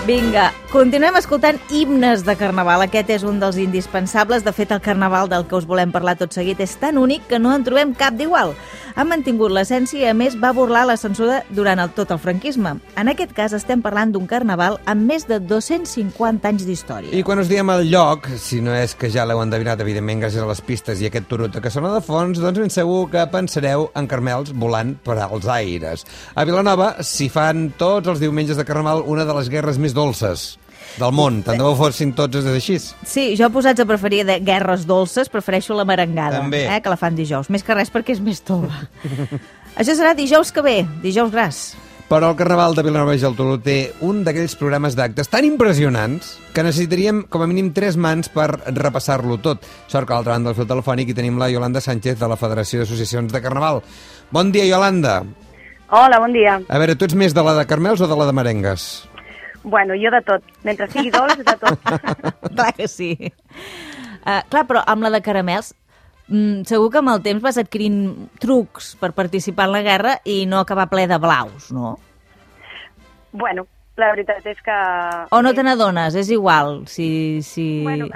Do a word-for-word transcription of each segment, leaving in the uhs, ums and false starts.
Vinga, continuem escoltant himnes de Carnaval. Aquest és un dels indispensables. De fet, el Carnaval del que us volem parlar tot seguit és tan únic que no en trobem cap d'igual. Ha mantingut l'essència i, a més, va burlar la censura durant el, tot el franquisme. En aquest cas, estem parlant d'un Carnaval amb més de dos-cents cinquanta anys d'història. I quan us diem el lloc, si no és que ja l'heu endevinat, evidentment, gràcies a les pistes i aquest turut que sona de fons, doncs ben segur que pensareu en carmels volant per als aires. A Vilanova s'hi fan tots els diumenges de Carnaval una de les guerres més dolces del món. Tant de bo fossin tots així. Sí, jo posats a preferir de guerres dolces, prefereixo la merengada, eh, que la fan dijous. Més que res perquè és més tova. Això serà dijous que ve, dijous gras. Però el Carnaval de Vilanova i Geltrú té un d'aquells programes d'actes tan impressionants que necessitaríem com a mínim tres mans per repassar-lo tot. Sort que a l'altra banda del fil telefònic hi tenim la Iolanda Sánchez de la Federació d'Associacions de Carnaval. Bon dia, Iolanda. Hola, bon dia. A veure, tu ets més de la de carmels o de la de merengues? Bueno, jo de tot. Mentre sigui dolç, de tot. Clar que sí. Uh, clar, però amb la de caramels, mm, segur que amb el temps vas adquirint trucs per participar en la guerra i no acabar ple de blaus, no? Bueno, la veritat és que... O no te n'adones, és igual, si... si... Bueno,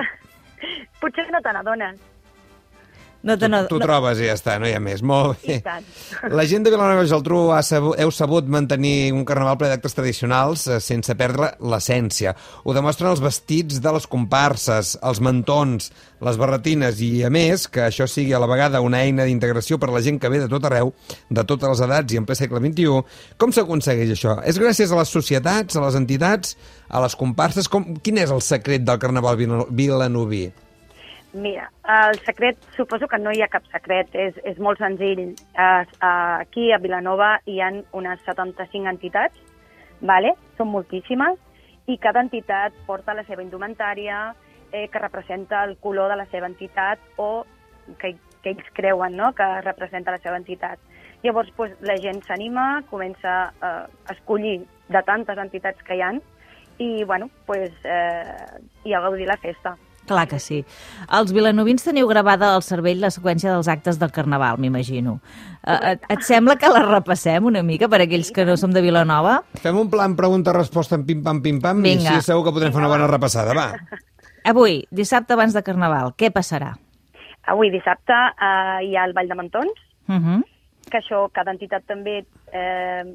potser no te n'adones. No te tu, tu no... trobes i ja està, no hi ha més. Molt bé. I tant. La gent de Vilanova i Geltrú ha sabut, heu sabut mantenir un carnaval ple d'actes tradicionals eh, sense perdre l'essència. Ho demostren els vestits de les comparses, els mantons, les barretines i, a més, que això sigui a la vegada una eina d'integració per a la gent que ve de tot arreu, de totes les edats i en ple segle vint-i-u. Com s'aconsegueix això? És gràcies a les societats, a les entitats, a les comparses? Com, quin és el secret del carnaval vilanoví? Mira, el secret, suposo que no hi ha cap secret, és, és molt senzill. Uh, uh, aquí a Vilanova hi ha unes setanta-cinc entitats, vale? Són moltíssimes, i cada entitat porta la seva indumentària eh, que representa el color de la seva entitat o que, que ells creuen, no?, que representa la seva entitat. Llavors, pues, la gent s'anima, comença uh, a escollir de tantes entitats que hi ha i, bueno, pues, eh, i a gaudir la festa. Clar que sí. Els vilanovins teniu gravada al cervell la seqüència dels actes del Carnaval, m'imagino. Uh, et, et sembla que la repassem una mica per aquells que no som de Vilanova? Fem un plan pregunta-resposta en pim-pam, pim-pam, i així segur que podrem fer una bona repassada, va. Avui, dissabte abans de Carnaval, què passarà? Avui, dissabte, eh, hi ha el Ball de Mantons, Uh -huh. que això, cada entitat també eh,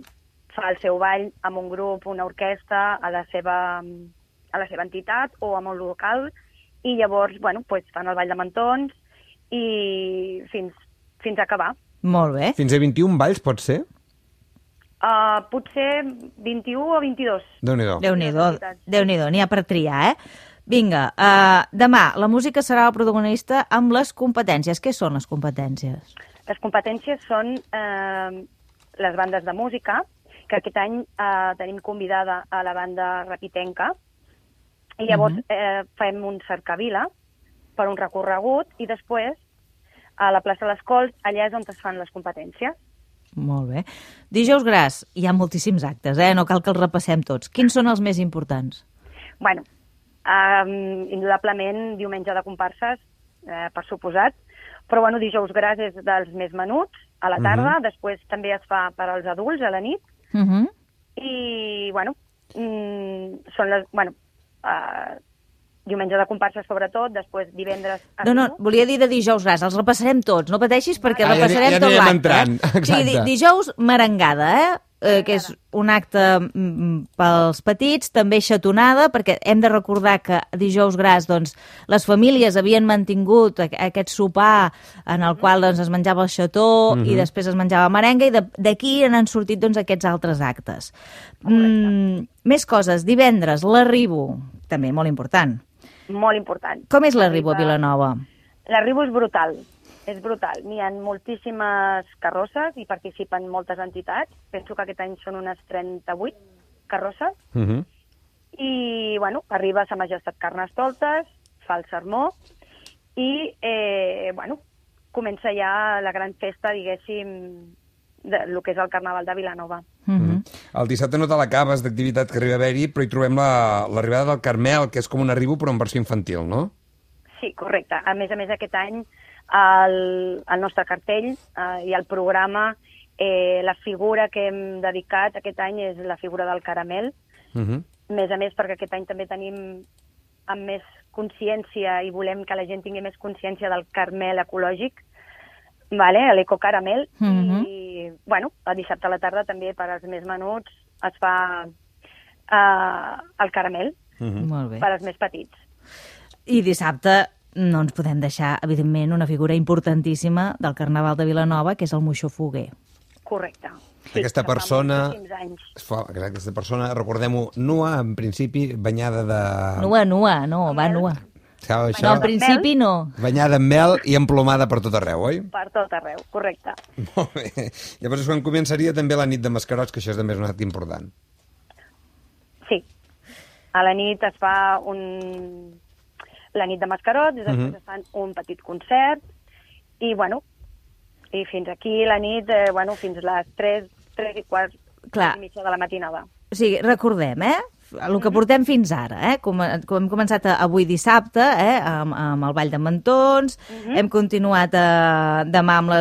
fa el seu ball amb un grup, una orquestra, a la seva, a la seva entitat o amb un local, i llavors, bueno, pues, fan el Ball de Mantons i fins, fins a acabar. Molt bé. Fins a vint-i-un balls, pot ser? Uh, potser vint-i-u o vint-i-dos. Déu-n'hi-do. Déu-n'hi-do, Déu-n'hi-do, n'hi ha per triar, eh? Vinga, uh, demà la música serà el protagonista amb les competències. Què són les competències? Les competències són eh, les bandes de música, que aquest any eh, tenim convidada a la banda Rapitenca, i llavors uh-huh. eh, fem un cercavila per un recorregut i després a la plaça de les Cols, allà és on es fan les competències. Molt bé. Dijous gras, hi ha moltíssims actes, eh? No cal que els repassem tots. Quins són els més importants? Bueno, eh, indudablement diumenge de comparses, eh, per suposat, però bueno, dijous gras és dels més menuts, a la tarda, uh-huh. després també es fa per als adults a la nit, uh-huh. i bueno, mm, són les... Bueno, Uh, diumenge de comparses sobretot, després divendres... No, no, volia dir de dijous gras, els repassarem tots, no pateixis perquè ah, repassarem ja, ja tot l'acte. Eh? Sí, di dijous merengada, eh? eh? Que és un acte mm, pels petits, també xatonada, perquè hem de recordar que dijous gras, doncs, les famílies havien mantingut aquest sopar en el qual doncs, es menjava el xató mm-hmm. i després es menjava merenga, i d'aquí han sortit doncs, aquests altres actes. Mm, més coses, divendres, l'arribo, també molt important. Molt important. Com és l'arribo a Vilanova? L'arribo és brutal, és brutal. N'hi ha moltíssimes carrosses i participen moltes entitats. Penso que aquest any són unes trenta-vuit carrosses. Uh-huh. I, bueno, arriba a Sa Majestat Carnestoltes, fa el sermó i, eh, bueno, comença ja la gran festa, diguéssim, del que és el Carnaval de Vilanova. Mm-hmm. El dissabte no te l'acabes d'activitat que arriba a haver-hi, però hi trobem l'arribada la, del Carmel, que és com un arribo però en versió infantil, no? Sí, correcte. A més a més, aquest any el, el nostre cartell eh, i el programa, eh, la figura que hem dedicat aquest any és la figura del Caramel, uh-huh. més a més, perquè aquest any també tenim amb més consciència i volem que la gent tingui més consciència del caramel ecològic, vale? l'Eco Caramel, Mhm. i bueno, el dissabte a la tarda també per als més menuts es fa uh, el caramel, Mhm. Molt bé. per als més petits. I dissabte no ens podem deixar, evidentment, una figura importantíssima del Carnaval de Vilanova, que és el Moixó Foguer. Correcte. Aquesta que fa persona- moltíssims anys. Es fa- Exacte, aquesta persona, recordem-ho, nua, en principi, banyada de... Nua, nua, no, va nua. Això, això, No, al principi no. banyada en mel i emplomada per tot arreu, oi? Per tot arreu, correcte. Molt bé. Llavors és quan començaria també la nit de mascarots, que això és també és un acte important. Sí. A la nit es fa un... la nit de mascarots, després Mhm. es fan un petit concert, i bueno, i fins aquí la nit, eh, bueno, fins les tres, tres i quart, Clar. i mitja de la matinada. O sigui, recordem, eh? El que portem fins ara, eh? Com, com hem començat avui dissabte, eh? Amb, amb el Ball de Mentons, hem continuat eh, demà, amb la,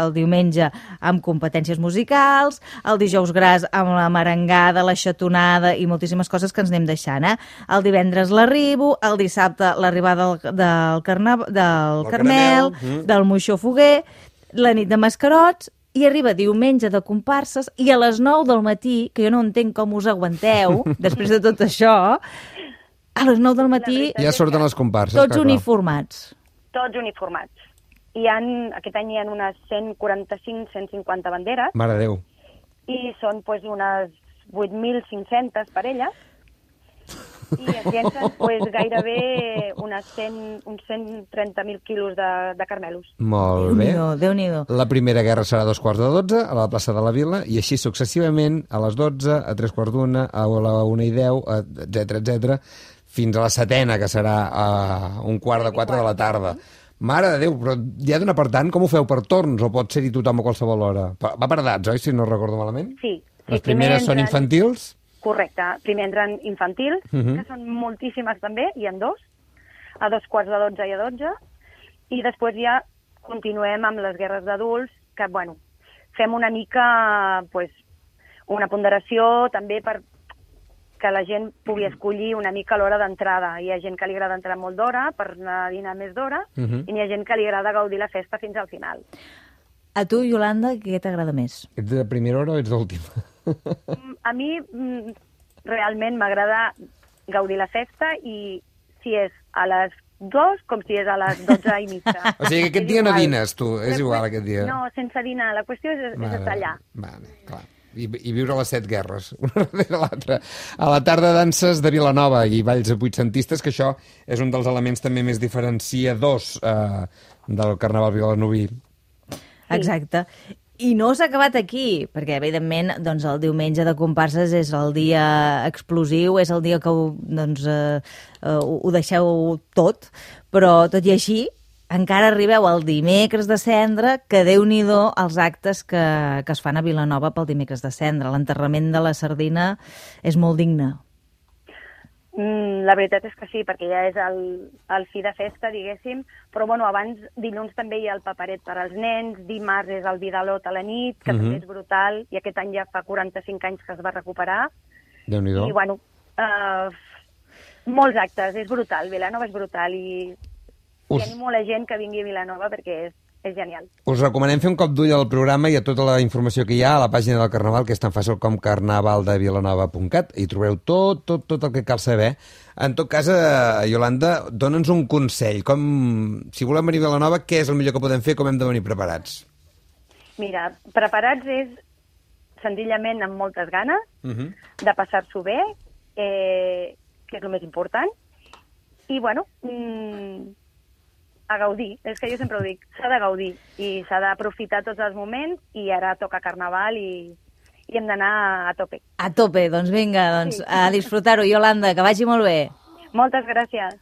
el diumenge, amb competències musicals, el dijous gras amb la merengada, la xatonada i moltíssimes coses que ens anem deixant, eh? El divendres l'arribo, el dissabte l'arribada del, del, carna, del El Carmel, caramel, mm. del Moixó Foguer, la nit de mascarots, i arriba diumenge de comparses, i a les nou del matí, que jo no entenc com us aguanteu, després de tot això, a les nou del matí, La Ja surten les comparses. tots clar, clar. uniformats. Tots uniformats. Hi han, aquest any hi ha unes cent quaranta-cinc cent cinquanta banderes, Mare de Déu. i són pues, unes vuit mil cinc-centes parelles, i es llencen pues, gairebé unes cent, uns cent trenta mil quilos de, de carmelos. Molt bé. Déu-n'hi-do, Déu-n'hi-do. La primera guerra serà a dos quarts de dotze, a la plaça de la Vila, i així successivament, a les dotze, a tres quarts d'una, a la una i deu, etcètera, etcètera, fins a la setena, que serà a un quart de quatre de la tarda. Mare de Déu, però ja d'una per tant, com ho feu per torns, o pot ser-hi tothom a qualsevol hora? Va per edats, oi, si no recordo malament? Sí. sí Les primeres són entren- infantils? Correcte. Primer entren infantils, uh Mhm. -huh. que són moltíssimes també, hi en dos, a dos quarts de dotze i a dotze, i després ja continuem amb les guerres d'adults, que, bueno, fem una mica, pues, una ponderació també per que la gent pugui escollir una mica l'hora d'entrada. Hi ha gent que li agrada entrar molt d'hora per anar a dinar més d'hora, Uh -huh. i hi ha gent que li agrada gaudir la festa fins al final. A tu, Iolanda, què t'agrada més? Ets de primera hora o ets d'última? Mm, A mi mm, realment m'agrada gaudir la festa, i si és a les dos com si és a les dotze i mitja. O sigui que aquest És dia no igual. dines, tu, és La igual qües- aquest dia. No, sense dinar. La qüestió és, és estar allà. Vale, clar. I, I viure les set guerres, una darrere l'altra. A la tarda danses de Vilanova i balls vuitcentistes, que això és un dels elements també més diferenciadors eh, del Carnaval vilanoví. Exacte. I no s'ha acabat aquí, perquè, evidentment, doncs, el diumenge de comparses és el dia explosiu, és el dia que ho, doncs, eh, eh, ho ho deixeu tot, però, tot i així, encara arribeu al dimecres de cendra, que Déu-n'hi-do els actes que, que es fan a Vilanova pel dimecres de cendra. L'enterrament de la sardina és molt digne. Mm, la veritat és que sí, perquè ja és el, el fi de festa, diguéssim, però bueno, abans, dilluns també hi ha el paperet per als nens, dimarts és el Vidalot a la nit, que Mhm. també és brutal, i aquest any ja fa quaranta-cinc anys que es va recuperar, Déu-n'hi-do. i bueno, uh, molts actes, és brutal, Vilanova és brutal, i, Us- i animo la gent que vingui a Vilanova perquè és, és genial. Us recomanem fer un cop d'ull al programa i a tota la informació que hi ha a la pàgina del Carnaval, que és tan fàcil com carnavaldevilanova punt cat. Hi trobareu tot, tot, tot el que cal saber. En tot cas, eh, Iolanda, dona'ns un consell. Com, si volem venir a Vilanova, què és el millor que podem fer? Com hem de venir preparats? Mira, preparats és senzillament amb moltes ganes, Uh -huh. de passar-s'ho bé, eh, que és el més important, i bueno, mm, a gaudir, és que jo sempre ho dic, s'ha de gaudir, i s'ha d'aprofitar tots els moments, i ara toca Carnaval i, i hem d'anar a tope. A tope, doncs vinga, doncs, a disfrutar-ho. Iolanda, que vagi molt bé. Moltes gràcies.